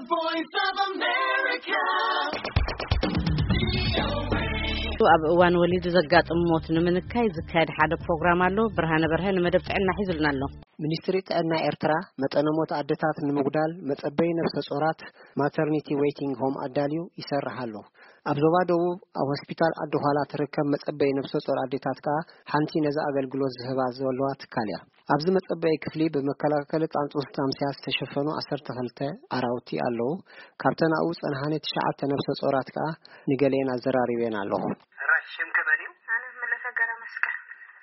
Voice of America. ኣብ እዋን ወሊድ ዘጋጥም ሞት ንምንካይ ዝካየድ ሓደ ፕሮግራም ኣሎ። ብርሃነ በርሀ ንመደብ ጥዕና ሒዙልና ኣሎ። ሚኒስትሪ ጥዕና ኤርትራ መጠነ ሞት ኣደታት ንምጉዳል መጸበይ ነፍሰ ጾራት ማተርኒቲ ዌይቲንግ ሆም ኣዳልዩ ይሰርሕ ኣሎ። ኣብ ዞባ ደቡብ ኣብ ሆስፒታል ዓዲ ኋላ ትርከብ መጸበይ ነፍሰ ጾር ኣዴታት ከኣ ሓንቲ ነዚ ኣገልግሎት ዝህባ ዘለዋ ትካል እያ። ኣብዚ መጸበይ ክፍሊ ብመከላከሊ ጣንጡ ስታምስያ ዝተሸፈኑ ዓሰርተ ክልተ ኣራውቲ ኣለዉ። ካብተን ኣብኡ ጸንሓኒ ትሽዓተ ነፍሰ ጾራት ከኣ ንገሊአን ኣዘራሪበን ኣለኹ። ሕራይ ሽምኪ መን እዩ? ኣነ ምለተ ገረ መስቀል።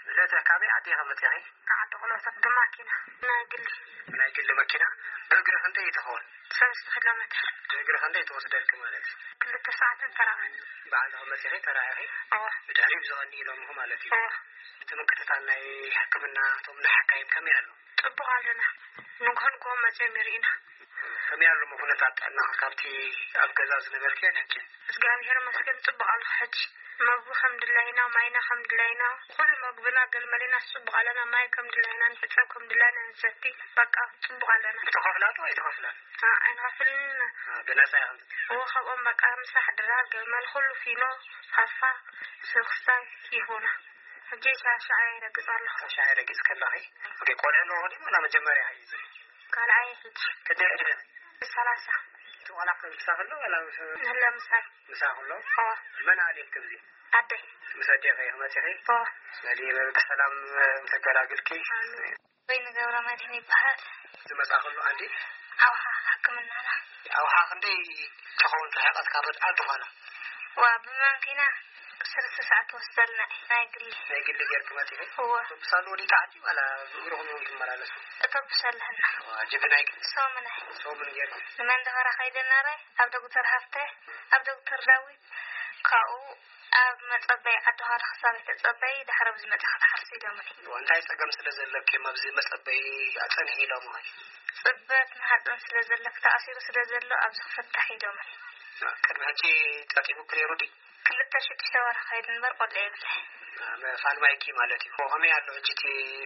ምለተ ካበይ ዓዲ ኢኺ መጺኺ? ካብ ዓዲ ቁሎሰብ ብማኪና ናይ ግሊ። ናይ ግሊ መኪና? ብእግሪ ክንደይ ትኸውን? ሰለስተ ኪሎ ሜትር። ብእግሪ ክንደይ ትወስደልኪ ማለት እዩ? ክልተ ሰዓትን ተራኸን። ባዕልኺ መጺኺ ተራኢኺ? እወ። ብድሕሪኡ ብዝቐኒ ኢሎምኺ ማለት እዩ? እወ። እቲ ምክትታል ናይ ሕክምና እቶም ናይ ሓካይም ከመይ ኣሎ? ጽቡቕ ኣለና። ንግሆ ንግሆ መጺኦም ይርእዩና። ከመይ ኣሎ ኩነታት ጥዕናኺ ካብቲ ኣብ ገዛ ዝነበርክዮ ንሕጂ? እግዚኣብሔር ይመስገን ጽቡቕ ኣለኹ ሕጂ። መግቢ ከም ድላይና፣ ማይና ከም ድላይና፣ ኩሉ መግብና ገልመሌና ጽቡቕ ኣለና። ማይ ከም ድላይና ንሕጸብ፣ ከም ድላይና ንሰቲ። በቃ ጽቡቕ ኣለና። ትኸፍላ ዶ ኣይትኸፍላን? አ፣ ኣይንኸፍልን ኢና። አ፣ ብነጻ ኢኹም ትጥቀሙ? እወ፣ ካብኦም በቃ ምሳሕ ድራር፣ ገልመል፣ ኩሉ ፊኖ፣ ፋፋ፣ ስኽሳይ ይሁና። ሕጂ ሻሻ ኣየ ረግጽ ኣለኹ። ሻሻ ኣየ ረግጽ ከለኺ? ኦኬ፣ ቆልዑ ኣለዎ ድዩ? ወላ መጀመርያ እዩ እዚ? ካልኣይ ሕጂ። ክንደይ ዕድመ? ሰላሳ። እቲ ቆልዓ ከ ምሳኺ ኣሎ ዋላ ምስ ምህላ ምሳይ። ምሳኺ ኣሎ? እወ። መን ኣልየልኪ ኣብዚ? ኣደይ። ምስ ኣዴኺ ኢኺ መጺኺ? እወ። በሊ ብሰላም ተገላግልኪ። ኣሜን። ወይኒ ገብረመድህን ይበሃል። ዝመጻ ከሎ ኣንዲ? ኣውሓ ሕክምናና። ኣውሓ ክንደይ ትኸውን ርሕቐት ካብ ዓዲ ዃላ? ዋ፣ ብማንኪና ሰለስተ ሰዓት ትወስደልና እዩ፣ ናይ ግሊ። ናይ ግሊ ጌርኪ መጺኺ? እወ። ኣውቶቡስ ኣሎ ወዲእኪ ዓዲ ዋላ ብእግርኹም ኢኹም ትመላለሱ? ኣውቶቡስ ኣለና። ዋ፣ ጅቢ ናይ ግሊ? ሶምን እዩ። ሶምን ጌርኪ? ንመንደፈራ ከይደ ነረ፣ ኣብ ዶክተር ሃፍተ፣ ኣብ ዶክተር ዳዊት፣ ካብኡ ኣብ መጸበይ ዓዲ ኻርኽ ሳቤት ተጸበይ፣ ድሕሪ ኣብዚ መጺኻ ትሓርሲ ኢሎምኒ። እንታይ ጸገም ስለ ዘለኪ እዮም ኣብዚ መጸበይ ኣጸንሒ ኢሎምኺ? ጽበት ማህጸን ስለ ዘለኪ ተኣሲሩ ስለ ዘሎ ኣብዚ ክፍታሕ ኢሎምኒ። ቅድሚ ሕጂ ጸቂሙኪ ነይሩ ድዩ? ክልተ ሽዱሽተ ወርሒ ከይዱ እምበር ቆልዓ የብለይ። ፋልማይኪ ማለት እዩ። ከመይ ኣሎ ሕጂ እቲ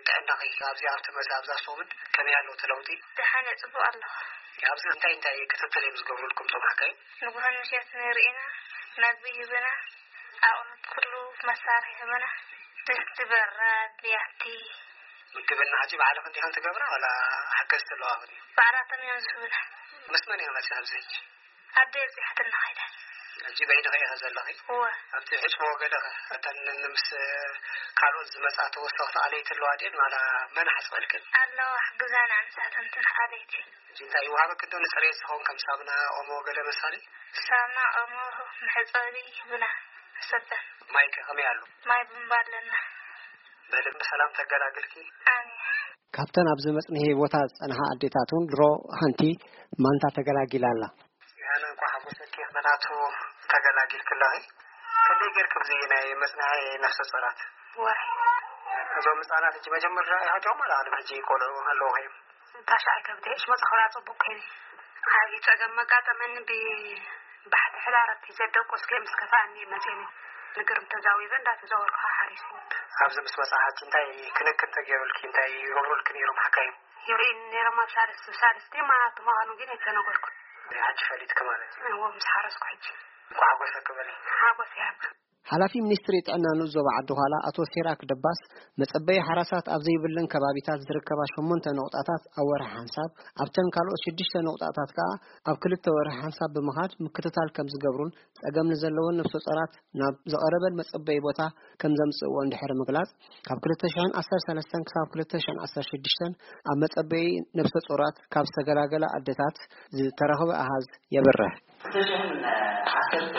ጥዕናኺ ኣብዚ ኣብቲ መዚ ኣብዛ ሶምን ከመይ ኣሎ እቲ ለውጢ? ደሓን እየ፣ ጽቡቕ ኣለኹ። ኣብዚ እንታይ እንታይ ክትትል እዮም ዝገብሩልኩም እቶም ሓካይም? ንጉሆን ምሸትን ይርእዩና፣ መግቢ ይህቡና፣ ኣቑሑት ኩሉ መሳርሒ ይህቡና፣ ድስቲ፣ በራድ፣ ብያቲ። ምግብና ሕጂ ባዕልኽን ዲኽን ትገብራ ዋላ ሓገዝቲ ኣለዋኽን? ባዕላቶም እዮም ዝህቡና። ምስ መን ኢኺ መጺኺ ኣብዚ ሕጂ? ኣደይ ኣብጺሓትና ኸይዳ። ሕጂ በይንኺ ኢኺ ዘለኺ? እወ። ኣብቲ ሕጽቦ ገለ ኸ? እተን ምስ ካልኦት ዝመጻ ተወሰኽቲ ኣለይቲ ኣለዋ ድየን ዋላ መን ሓጽበልክን? ኣለዋ፣ ሕግዛና ንሳተን እተን ኣለይቲ። ሕጂ እንታይ ይወሃበክን ዶ ንጽሬት ዝኸውን ከም ሳምና፣ ኦሞ ገለ መሳሊ? ሳምና፣ ኦሞ፣ መሕጸቢ ይህቡና ንሰተን። ማይ ከ ከመይ ኣሎ? ማይ ቡምባ ኣለና። በሊ ብሰላም ተገላግልኪ። ኣሜን። ካብተን ኣብዚ መጽንሒ ቦታ ዝጸንሓ ኣዴታት እውን ድሮ ሓንቲ ማንታ ተገላጊላ ኣላ። ኣነ እንኳ ሓጎሰኪ ምኽንያቱ ተገላጊልኪ ኣለኺ። ክንደይ ጌርኪ ብዚ ናይ መጽንሒ ነፍሰ ጾራት? ወርሒ። እዞም ህጻናት ሕጂ መጀመርያ ኢኻ ዲኹም ዋላ ቅድሚ ሕጂ ቆልዑ ኣለውኺ እዮም? ታሽዓይ ከብደይ እሽ መጽኸራ ጽቡቅ ከይኒ። ዓቢ ጸገም መጋጠመኒ ብ-፣ ባሕቲ ሕዳር ኣብቲ ዘደቆስከ ምስ ከፋእኒ መጼኒ። ንግርም ተዛዊበ እንዳተዛወርኩ ሓሪስ። ኣብዚ ምስ መጻሓቲ እንታይ ክንክን ተገይሩልኪ? እንታይ ይገብሩልኪ ነይሮም ሓካይም? ይርእዩኒ ነይሮም ኣብ ሳልስቲ፣ ሳልስቲ ማናቱ ምዃኑ ግን ኣይተነገርኩን። ሕጂ ፈሊጥኪ ማለት እዩ? እዎ፣ ምስ ሓረስኩ ሕጂ። እንኳዕ ሓጎሰኪ በሊ። ሓጎስ ይሃብ። ሓላፊ ሚኒስትሪ ጥዕና ንኡስ ዞባ ዓዲ ዃላ ኣቶ ሲራክ ደባስ፣ መጸበዪ ሓራሳት ኣብ ዘይብለን ከባቢታት ዝርከባ ሸሞንተ ነቑጣታት ኣብ ወርሒ ሓንሳብ፣ ኣብተን ካልኦት ሽዱሽተ ነቑጣታት ከኣ ኣብ ክልተ ወርሒ ሓንሳብ ብምኻድ ምክትታል ከም ዝገብሩን ጸገም ንዘለወን ነፍሰ ጾራት ናብ ዝቐረበን መጸበዪ ቦታ ከም ዘምጽእዎ እንድሕሪ ምግላጽ፣ ካብ ክልተ ሽሕን ዓሰርተ ሰለስተን ክሳብ ክልተ ሽሕን ዓሰርተ ሽዱሽተን ኣብ መጸበዪ ነፍሰ ጾራት ካብ ዝተገላገላ ኣደታት ዝተረኽበ ኣሃዝ የብርህ። ክልተ ሽሕን ዓሰርተ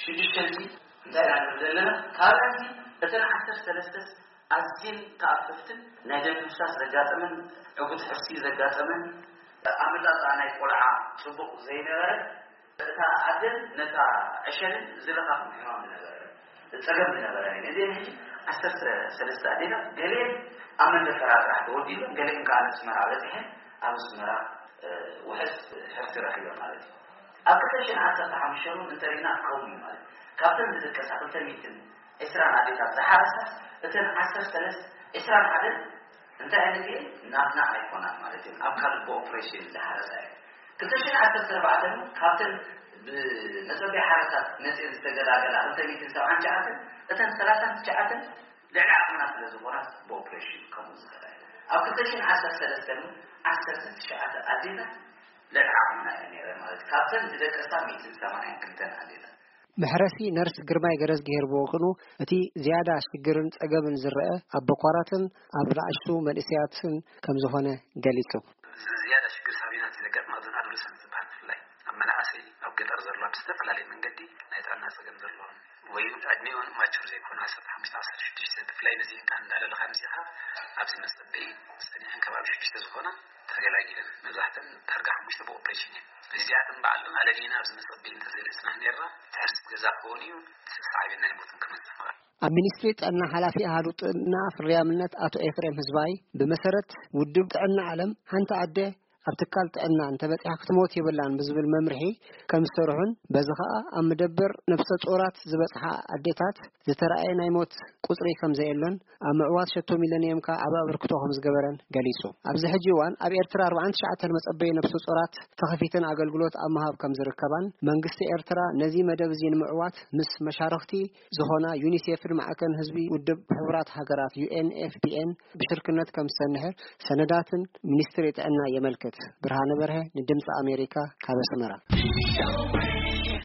ሽዱሽተን እንታይ ኢና ንብል ዘለና? ካብኣንሲ እተን ዓሰርተ ሰለስተ ኣዝየን ተኣፈፍትን ናይ ደም ምፍሳስ ዘጋጠመን፣ ዕጉት ሕርሲ ዘጋጠመን፣ ኣመጣጥኣ ናይ ቆልዓ ጽቡቕ ዘይነበረ፣ እታ ኣደን ነታ ዕሸልን ዝለኻኽም ሕማም ዝነበረ፣ ጸገም ዝነበረ እዩ። እዚአን ሕጂ ዓሰርተ ሰለስተ ኣዴታት ገሊአን ኣብ መንደፈራ ጥራሕ ተወዲበን፣ ገሊአን ከኣ ኣስመራ በጺሐን፣ ኣብ ኣስመራ፣ እ፣ ውሑስ ሕርሲ ረኺበን ማለት እዩ። ኣብ ክልተ ሽሕን ዓሰርተ ሓሙሽተን እውን እንተሪእና ከምኡ እዩ ማለት እዩ። ካብተን ዝድቀሳ ክልተ ሚእትን ዕስራን ኣዴታት ዝሓረሳ፣ እተን ዓሰርተ ሰለስተ፣ ዕስራን ሓደን እንታይ ዓይነት እየን? ናትና ኣይኮናን ማለት እዩ። ኣብ ካልእ ብኦፕሬሽን ዝሓረሳ እየን። ክልተ ሽሕን ዓሰርተ ኣርባዕተን ካብተን ብመጸበይ ሓረሳት መጽየን ዝተገላገላ ክልተ ሚእትን ሰብዓን ትሽዓተን፣ እተን ሰላሳን ትሽዓተን ልዕሊ ዓቕምና ስለ ዝኾና ብኦፕሬሽን ከምኡ ዝኸዳ እየን። ኣብ ክልተ ሽሕን ዓሰርተ ሰለስተን ዓሰርተ ትሽዓተ ኣዴታት ልዕሊ ዓቕምና እየን ነይረን ማለት እዩ። ካብተን ዝደቀሳ ሚእትን ሰማንያን ክልተን ኣዴታት። መሕረሲ ነርስ ግርማይ ገረዝግሄር ብወገኑ፣ እቲ ዝያዳ ሽግርን ጸገምን ዝረአ ኣብ በኳራትን ኣብ ንኣሽቱ መንእሰያትን ከም ዝኾነ ገሊጹ። ዝያዳ ሽግር ሳቢናት ዘጋጥማ እዞን ኣዶለሰንት ዝበሃል ብፍላይ ኣብ መናእሰይ ኣብ ገጠር ዘሎ ብዝተፈላለየ መንገዲ ናይ ጥዕና ጸገም ዘለዎም ወይ ዕድሜኦን ማቹር ዘይኮኑ ዓሰርተ ሓሙሽተ ዓሰርተ ሽዱሽተ ብፍላይ በዚ እንካ እንዳለለኻ ምጺኻ ኣብዚ መጸበይ ጸኒሐን ከባቢ ሽዱሽተ ዝኾና ተገላጊለን። መብዛሕተን ዳርጋ ሓሙሽተ ብኦፕሬሽን እየን። እዚኣተን በዓለን ኣለሊና ኣብዚ መጸበይ እንተዘይበጽና ነይርና ትሕርሲ ገዛ ክኸውን እዩ። ስሳዕቤን ናይ ሞትን ክመጽእ ምኽኣል። ኣብ ሚኒስትሪ ጥዕና ሓላፊ ኣሃዱ ጥዕና ፍርያምነት ኣቶ ኤፍሬም ህዝባይ፣ ብመሰረት ውድብ ጥዕና ዓለም ሓንቲ ኣደ ኣብ ትካል ጥዕና እንተበጺሓ ክትሞት የብላን ብዝብል መምርሒ ከም ዝሰርሑን፣ በዚ ኸኣ ኣብ መደበር ነብሰ ጾራት ዝበጽሓ ኣዴታት ዝተራእየ ናይ ሞት ቁጽሪ ከም ዘየሎን፣ ኣብ ምዕዋት ሸቶ ሚለንየም ከኣ ዓቢ ኣበርክቶ ከም ዝገበረን ገሊጹ። ኣብዚ ሕጂ እዋን ኣብ ኤርትራ ኣርባዓን ትሽዓተን መጸበዪ ነብሰ ጾራት ተኸፊተን ኣገልግሎት ኣብ ምሃብ ከም ዝርከባን፣ መንግስቲ ኤርትራ ነዚ መደብ እዚ ንምዕዋት ምስ መሻርኽቲ ዝኾና ዩኒሴፍን ማዕከን ህዝቢ ውድብ ሕቡራት ሃገራት ዩ ኤን ኤፍ ፒ ኤን ብሽርክነት ከም ዝሰንሐ ሰነዳትን ሚኒስትሪ ጥዕና የመልክት። ብርሃነ በርሀ ንድምፂ ኣሜሪካ ካብ ኣስመራ።